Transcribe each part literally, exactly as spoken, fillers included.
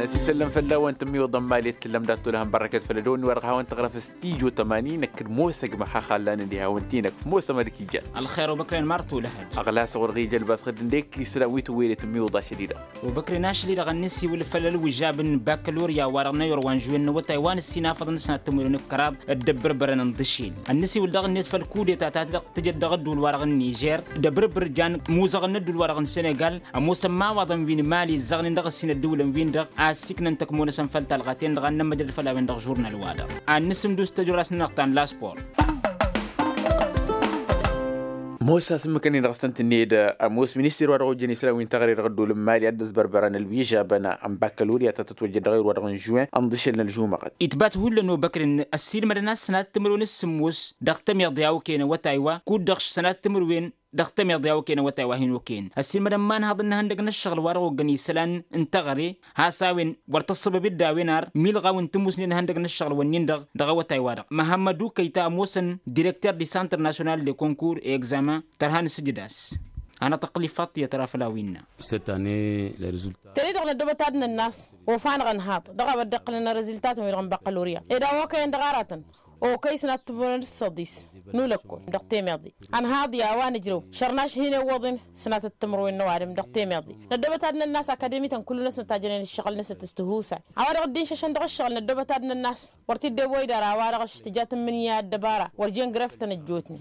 Ăsisăllăm făll-a-wen tǝmmiwǝḍăn mali d-tǝllăm dat-tolăhăn bărrăkăt făll-ădăwănni wa dăɣ-hawăn-tăɣrăf s-tijo tămani năkk d-mosăg măxaxallan d-ihawăn-t-i-năk mosăm ad-ǝkijjan. Ălxer obăkren mar tolăhăn. Ăɣlas ɣur-ɣija ălbasɣăd ǝndek isălan wi tǝwwăyăd i-tǝmmiwǝḍa ašăl-i-dăɣ. Obăkren ašăl-i-dăɣ ănnis-iwǝl făll-ălwǝžžab n-bakălorya wa dăɣ-năyor wa n-žwen n-awătay wa n-ǝssin afăḍăn sănat timǝrwen d-kăraḍ d-ăbbărbărăn ǝnḍǝšel. Ănnis-iwǝl dăɣ-net făll-kudeta ta dăɣ-tǝjăt dăɣ-ădduul-wa-dăɣ n-nižer d-abrǝbr jan imuzăɣăn n-ădduul-wa-dăɣ n-senegal. Ămoosăn imawaḍăn wi n-mali ǝzzăɣnen dăɣ-ǝssin ădduulăn-win dăɣ-a ăssiiknăn tăkmo-năsăn făll-talɣa-ten-dăɣ a n-nămmăjăd făll-a-wen-dăɣ žurnal-wa-dăɣ. Ad-nǝsǝmdus tăjorrast-nănăɣ ta n-laspor. Mosa s-ǝmmǝkăn-in-dăɣ s-tăn-tǝnned ămoos ministir wa dăɣ-ojăn isălan wi n-teɣăre dăɣ-ădduul n-mali ad-dd-ăzbărbărăn ălwižabăn n-bakălorya ta tătwăjjăd dăɣ-erwa dăɣ-n žuwen ănḍǝšăl n-ălžumăɣăt. Itbat hullan obăkren ăssiilmădăn a-s sănat timǝrwen s-sǝmmos dăɣ-tămiḍe a okăyăn awătay wa kud-dăɣ sănat timǝrwen dăɣ-tămiḍe a okăyăn awătay wa hin-okăyăn ăssiilmădăn ma ǝnhaḍăn n-ihăndăg n-ăššăɣǝl wa dăɣ-oggăn isălan n-teɣăre has-a-wen wăr tăssăbăb-dd a-wen ar milɣaw n-tǝmmusnen ihăndăg n-ăššăɣǝl-wǝnnin-dăɣ dăɣ-awătay-wa-dăɣ. Măhămmădu kăyta ămoosăn direkter di centre national de concours et examen tărha n-asǝjǝd a-s hanăɣ-tăqqǝl ifaḍ tiyyăt ra făll-a-wen innă. Cette année les résultats. Tăne-dăɣ năddobăt ad-nănn'-as ofa-năɣ ănhaḍ dăɣ-a-wa dd-iqqălăn rǝzǝltatăn-wi-dăɣ n-băqqălorya ed a okăyăn dăɣ-aratăn okăy sănat timǝrwen d-săḍis n-ulăkkol dăɣ-temeḍe. Ănhaḍ i-a-wa nǝjrăw šărnaš hin-iwwăḍen sănatăt timǝrwen n-ăwadǝm dăɣ-temeḍe. Năddobăt ad-nănn'-as akademi-tăn kullu-năsnăt a jănen ǝššăɣǝl-năsnăt s-tihusay a-wa dăɣ-dd-inšăšăn dăɣ-ǝššăɣǝl năddobăt ad-nănn'-as wăr t-dd-ewăy d-ara a-wa dăɣ-s tǝja tǝmmǝnǝya ăddăbara wăr jen grăftăn ăjjootnen.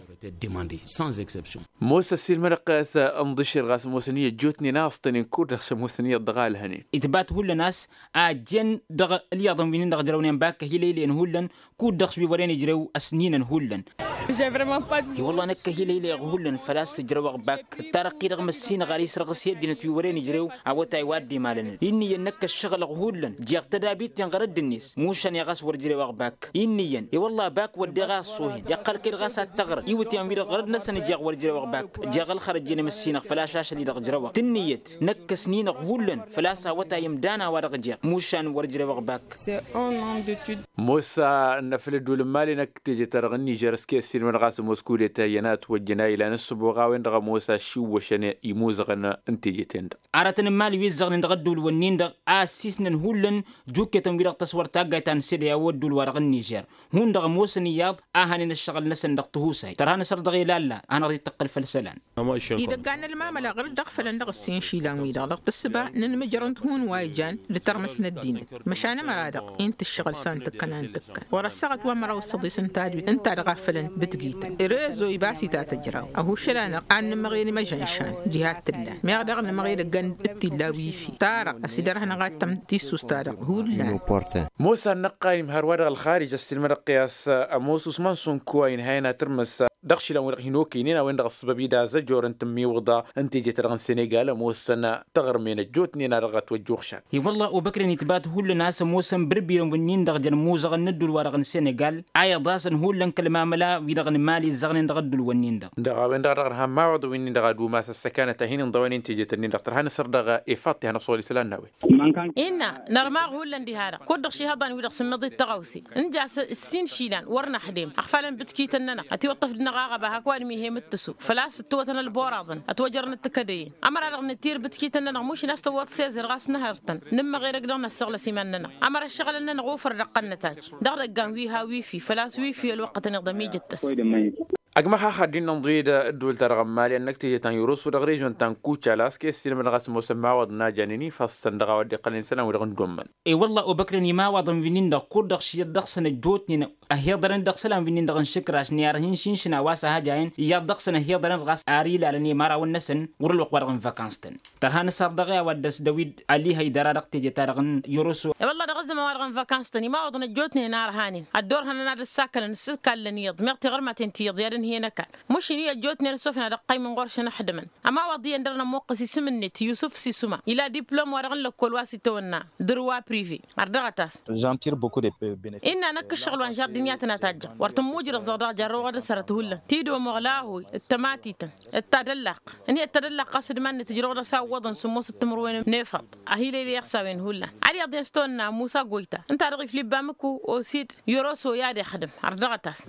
Mosa ăssiilmădăɣ kăy-a-s ănḍǝšel ɣas ămoosăn i-ăjjootnen a ăṣṭănen kud-dăɣ s-ămoosăn iyyăḍ dăɣ-alhănen. Itbat hullan a-s a ăjjeen dăɣ-ălyaḍăn wi-nin-dăɣ ǝjrăwnen bakk ăhilăylăyăn hullan kud-dăɣ s-wi wăren ijrew ăsninăn hullan. I-wălla năkk ăhilăylăyăɣ hullan făl-a-s ǝjrăwăɣ bakk ǝttarăɣ-t-i dăɣ-măssinăɣ ar isrăɣǝs i-ăddinăt wi wăren ijrew awătay wa dd-imalănăn. Inniyăn năkk ăššăɣǝlăɣ hullan jeɣ tădabit-ten ɣărădd-net mušan i-ɣas wăr ǝjrewăɣ bakk. Inniyăn i-wălla bakk wăddeɣ a ăṣṣohen iqqăl-kăy-dăɣ a-s ad-tăɣrăy iwǝtyan-wi-dăɣ ɣărădd-năsăn ǝjeɣ wăr ǝjrewăɣ bakk. Jeɣ ălxărăj i-nămăssinăɣ făl-a-s ašăl-i-dăɣ ǝjrăwăɣ tǝnniyăt năkk ăsninăɣ hullan făl-a-s awătay ǝmdan a-wa-dăɣ jeɣ mušan wăr ǝjrewăɣ bakk. Mosa n-afăl ădduul n-mali năkk teje-ta-dăɣ n-nižer s-kăy-ăssiilmădăɣ a-s ămoos kudeta iyyăn a ătwăjjăn a ilan ǝssǝboɣ a-wen-dăɣ ămoos aššiwwăšăn imuzăɣăn n-teje-ten-dăɣ. Aratăn n-mali wi ǝzzăɣnen dăɣ-ădduul-wǝnnin-dăɣ a ăssiisnăn hullan juketăn-wi-dăɣ tăswăr taggayt ta n-sede a-wa ădduul-wa-dăɣ n-nižer hundăɣ ămoosăn iyyăḍ a hanen ăššăɣǝl-năsăn dăɣ-tihusayt tărha n-asăr dăɣ-ilalla a hanăɣ-dd-tăqqǝl făll-isălan. Idăggan n-ălmamăla ɣur-dd ăɣfălăn dăɣ-ǝssin išilan-wi-dăɣ dăɣ-tǝssǝba n-inmǝjrăn-t hun wa ijan d-tărmăs n-ăddinăt măšan ămăra-dăɣ i n-tǝššăɣǝl s-a n-tǝkkăn a n-tǝkkăn wăr-ăssaɣăt wa măraw d-săḍis n-tadwit ǝnta dăɣ-a fălăn bǝtgităn rezo ibas-i ta tǝjraw ăhušăl-anăɣ ad-nǝmăɣel imăžănšan diha t-ǝllan meɣ daɣ nǝmăɣel ăggan d-t-illa wifi tarăɣ ăsidărhănăɣ ad-tăm tissust-ta-dăɣ hullan. Mosa n-năqqayǝm hărwa dăɣ-ălxarij ăssiilmădăɣ-t i-a-s ămoos usman sunku a inhayăn ad-tǝrmǝs dăɣ-išilan-wi-dăɣ hin-okăynen a-wen-dăɣ ăssăbăb-i d-azăjor n-tǝmmiwǝḍa n-teje-ta-dăɣ n-senegal ămoosăn taɣrǝmen ăjjootnen a dăɣ-ătwăjjuɣšan. I-wălla obăkrăn itbat hullan a-s ămoosăn bǝrbirăn wǝnnin-dăɣ jăn imuzăɣăn n-ădduul-wa-dăɣ n-senegal a iḍasăn hullan kăl-mamăla-wi-dăɣ n-mali ǝzzăɣnen dăɣ-ădduul-wǝnnin-dăɣ. Dăɣ-a-wen-dăɣ a dăɣ-nǝha n-imawaḍăn wi-nin-dăɣ ad-umas ăssăkanăt a hin-inḍăwăn i n-teje-tăn-in-dăɣ tărha n-asăr dăɣ-ifaḍ ti hanăɣ-săɣăl isălan n-a-wen. Innă nărmaɣ hullan diha-dăɣ kud-dăɣ šihăḍan-wi-dăɣ sǝmmăḍ-i d-tăɣawse n-ja s-ǝssin išilan wăr năxdem ăɣfalăn bǝtkităn-nănăɣ ătiwăṭṭăf dăɣ-năɣ aɣăba hak ăwadǝm ih'-e mǝttǝsu făl-a-s ǝttǝwătăn ălboraḍăn ătwăjrănăt tikădăyăn ămăra-dăɣ nǝtir bǝtkităn-nănăɣ mušǝn a-s tăwwăḍ sezer ɣas nǝhărtăn nǝmmăɣ edăgg-dăɣ năssăɣlăs iman-nănăɣ ămăra ăššăɣǝlăn-nănăɣ ofăr dăɣ-tăn-nătaj dăɣ-idăggan wi ha wifi făl-a-s wifi ălwăqqătăn iḍăm ijǝttăs. Ăgg măxax ad-dd-innănḍǝy d-ădduul-ta-dăɣ n-mali ănnăk teje ta n-yurǝsu dăɣ-režion ta n-kucala a-s kăy-ăssiilmădăɣ a-s ămoosăn imawaḍăn a janen ifassăn dăɣ-a-wa dd-iqqălăn isălan-wi-dăɣ n-dd-ommăn. I-wălla obăkrăn imawaḍăn wi-nin-dăɣ kud-dăɣ šiyăt dăɣ-săn ăjjootnen ăhiḍărăn dăɣ-isălan wi-nin-dăɣ n-išǝkraš n-i-ar hin-šinšǝn a-wa s-ahăjayăn iyyăḍ dăɣ-săn ăhiḍărăn ɣas ar ilalăn i-imărawăn-năsăn wăr-ălwăqq-wa-dăɣ n-vakans-tăn. Tărha n-asăr dăɣ-i a-wa dd-ăsdăw-dd ălihăy dăra dăɣ-teje-ta-dăɣ n-yoroso. I-wălla dăɣ-ăzzăman-wa-dăɣ n-vakans-tăn imawaḍăn ăjjootnen arhanen ăddoorhănăn ad-ăssakălăn s-ǝlkallăn iyyăḍ meɣ tiɣărmaten ti iyyăḍ i-ad-ǝnhǝyăn ăkall mušǝn-i ăjjootnen s-ofăn ad-ăqqăymăn ɣur-šăn ăxdǝmăn. Ămawaḍ iyyăn dăr-nămoqqăs isǝm-net yusǝf sisuma ila diplom-wa-dăɣ n-lăkkol wa s-itawănna dăr-wa prive. Ărdăɣăt-as. Innă năkk ǝššăɣǝl wa n-žardǝn i-ad-tăn-atajjăɣ wăr tǝmmujrăẓăɣ dăɣ-jarrăwăɣ d-asărăt hullan tidomoɣ lahuy d-tămatităn d-tadăllaqq. Ǝnhăyăt tadăllaqq ɣas d-iman-net ǝjrăwăḍ a-s a ǝwwăḍăn sǝmmosăt timǝrwen n-efăḍ. Ahilăylăyăɣ s-a-wen hullan ad-iyyăḍ i-ăstăwănna musa goyta ǝnta-dăɣ iflǝbba mǝku osid yoroso i-ad-ixdǝm. Ărdăɣăt-as.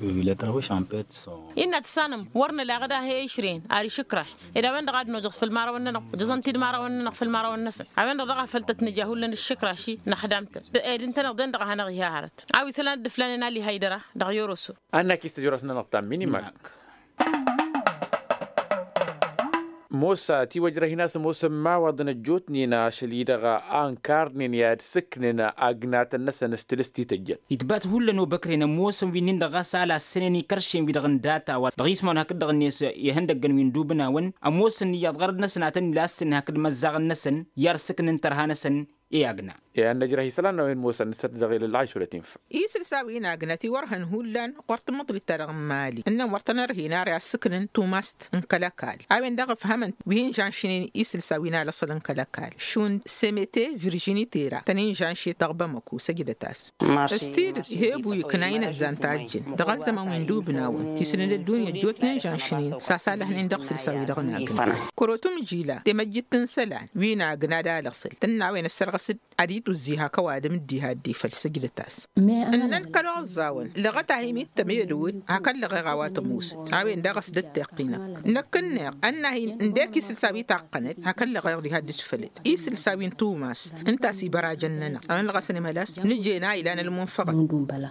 Innă tǝssanăm wăr nǝla ɣăda he-išrăyăn ar išǝkraš. Ed a-wen-dăɣ a dd-nojăẓ făll-imărawăn-nănăɣ ojăẓăn-t-dd imărawăn-nănăɣ făll-imărawăn-năsăn. A-wen-dăɣ daɣ a făl tăt-nǝja hullan ǝššǝkraš-i năxdam-tăn. Ed ǝntăneḍ-en-dăɣ a hanăɣ-iha hărăt a-wa isălan dd-ǝflanen ali haydăra dăɣ-yoroso. Annak-i s-tǝjrăwt-nănăɣ ta n-minimak. Mosa tiwăjrăh-in a-s ămoosăn imawaḍăn ăjjootnen ašăl-i-dăɣ a ǝnkarnen i-ad-sǝknen agnatăn-năsăn s-tǝlǝst ti tăjjăn. Itbat hullan obăkren ămoosăn wi-nin-dăɣ ɣas a lassănen ikăršen-wi-dăɣ n-data wa dăɣ-ismawăn hakd-dăɣ-net ihăndăggăn wi n-dubǝnawăn ămoosăn iyyăḍ ɣărăd-năsăn a tăn-ilassănen hakd imăzzaɣăn-năsăn i-ad-sǝknen tărha-năsăn i-agna. I-ad-năjrăh isălan n-a-wen ămoosăn nǝsăt dăɣ-ilăl ašulăt infa. Isǝlsa wi n-agna tiwărhăn hullan ɣur-tǝmmăḍlit-ta-dăɣ n-imali ǝnnăn wăr tăn-ărhin ara i-ad-sǝknen tumast n-kăl-ăkall. A-wen-dăɣ ǝfhămăn wi hin-žănšnen isǝlsa wi n-alăṣăl n-kăl-ăkall šund semete virjini tera tăn-in-žănšet dăɣ-bamăko săjdăt-as. S-tidǝt ih'-e-ăbu ikna inăzzan tajjǝn dăɣ-ăzzăman wi n-dubǝnawăn ti sǝnǝd ăddunya ăjjootnen žănšnen s-asalăhnen dăɣ-isǝlsa wi-dăɣ n-agna. Kărotum jila temăjjit n-isălan wi n-agna d-alăṣăl tǝnna a-wen ăssărɣăs-dd ad-ituzzi hak ăwadǝm dd-iha dd-ifăl săjdăt-as. Ǝnnăn kăl-oẓẓawăn lăɣăt-ahi mi t-tămedăwăd hak ăllăɣeɣ a-wa tămoosăt a-wen daɣ a-s dd-tiqqinăk. Năkk ǝnneɣ ănn-ahi ǝndek isǝlsa wi taqqănăt hak ăllăɣeɣ diha dd-fălăt isǝlsa wi n-tumast ǝnta a-s ibărajăn-nănăɣ a-wen-dăɣ a-s ănimhăl a-s nǝjen a ilan ălmunfăɣăt.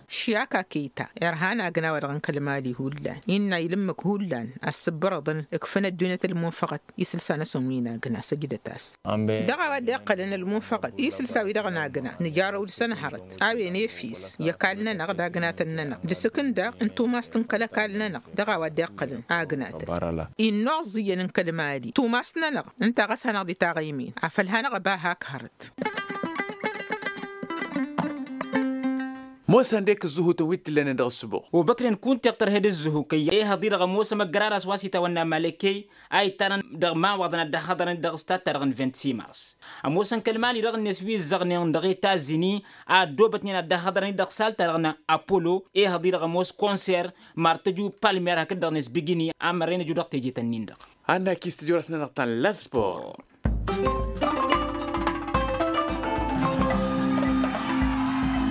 Šyaka keta irhan agna-wa-dăɣ n-kăl-mali hullan innă ilǝmmǝk hullan a ǝssǝbbărăḍăn ǝkfăn ăddunyăt ălmunfăɣăt isǝlsa-năsăn wi n-agna săjdăt-as. Dăɣ-a-wa dd-iqqălăn ălmunfăɣăt isǝlsa-wi-dăɣ n-agna nǝjarăw dăɣ-săn hărăt a-wen efis i-ăkall-nănăɣ d-agnatăn-nănăɣ d-asǝkǝn daɣ n-tumast n-kăl-ăkall-nănăɣ. Dăɣ-a-wa dd-iqqălăn agnatăn innuẓẓiyăn n-kăl-mali tumast-nănăɣ ǝnta ɣas hanăɣ-dd-itaɣăymen afăl hanăɣ-ăba hak hărăt. Mosa ǝndek ǝzzǝhutăn wi t-ǝllănen dăɣ-ǝssǝbuɣ. Obăknen kunta iɣtăr he-dd ǝzzǝhu kăyy ehăḍ-i-dăɣ ămoos ămăggăr ar a-s wa s-itawănna malăkkey a ittanăn dăɣ-imawaḍăn ad-dd-ăhhăḍărăn-dd dăɣ-s tatta-dăɣ n-vint-simars. Ămoosăn kăl-mali-dăɣ-net wi ǝzzăɣnen dăɣ-etazini a ăddoobătnen ad-dd-ăhhăḍărăn-dd dăɣ-sal-ta-dăɣ n-apollo ehăḍ-i-dăɣ ămoos konser martăju palmer hakd-dăɣ-net bigini a mărren ăju dăɣ-teje-tăn-in-dăɣ. Annak-i s-tijorăt-nănăɣ ta n-laspor.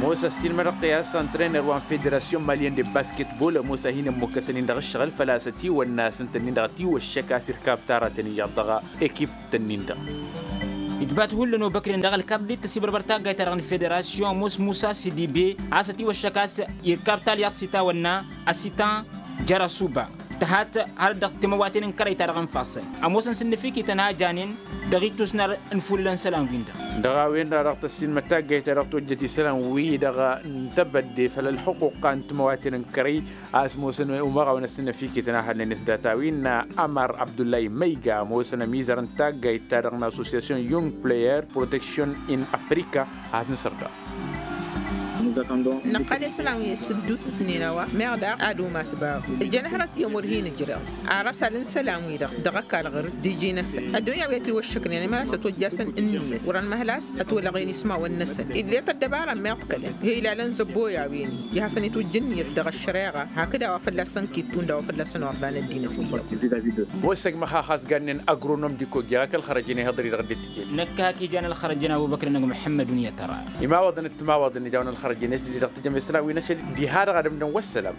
Ămoos ăssiinmădăɣ-t i-a-s antrener wa n-federasyon malyen de basketbol ămoos a hin-ămmukkăsăn-in dăɣ-ǝššăɣǝl făl-a-s ătiwănna a-s ǝnta-nin-dăɣ ătiwăššăk a-s irkab tara tăn-iyyăḍ dăɣ-ekip-tăn-in-dăɣ. Itbat hullan obăknen dăɣ-ălkaḍlit tăsibărbăr taggayt-ta-dăɣ n-federasyon ămoos musa sidibe a-s ătiwăššăk a-s irkab talyaḍt s-itawănna ăsitan jărăsuba. Tăhat har dăɣ-timăwaten n-kărăy-ta-dăɣ n-ifassăn ămoosăn s-ǝnnǝfikităn a janen dăɣ-itusnar n-ifulǝlăn isălan-win-dăɣ. Dăɣ-a-wen-dăɣ dăɣ-tăssinmăt taggayt-ta-dăɣ tojjăt isălan-wi-dăɣ n-tebădde făll-ălxuqqa n-timăwaten n-kărăy a-s ămoosăn umăɣawăn s-ǝnnǝfikităn a hălnen s-data-win n-amar abdullahi măyga ămoosăn ămizăr n-taggayt-ta-dăɣ n-association young player protection in afrika. Ad-nǝsăr daɣ. Năqqăl isălan wi s-dd-utǝtnen a-wa meɣ daɣ ad-umas bahu ǝjăn hărăt i-ămur hin-ǝjreẓ ar asal n-isălan-wi-dăɣ dăɣ-ăkall ɣur-dd iji-năsăn ăddunya wi ătiwăššăknen imălas ătwăjjasăn ǝnniyăt wăr-ănmăhăl a-s ătwălăɣen ismawăn-năsăn ill'-e tăddăbara n-meɣ d-kălăn he-ilalăn zăbboy a-wen-i ihasăn-itwǝjj ǝnniyăt dăɣ-ăššăreɣa hakd a-wa fălla-săn kittun d-a-wa fălla-săn orlan ăddinăt wi-dăɣ. Wa s-ăgg măxax a-s gannen agronom d-ikoja ak ălxărăjăn ihăḍri dăɣ-dd-tijel. Năkk hak ijan ălxărăjăn a-wa băkrăn ăgg muḥămmăd unǝyăt ăra. Imawaḍăn d-timawaḍăn ijawn ălxărăjăn s-dd-dăɣ tijăm isălan wi n-ašăl diha-dăɣ ad-ǝmdăn wa s-sălam.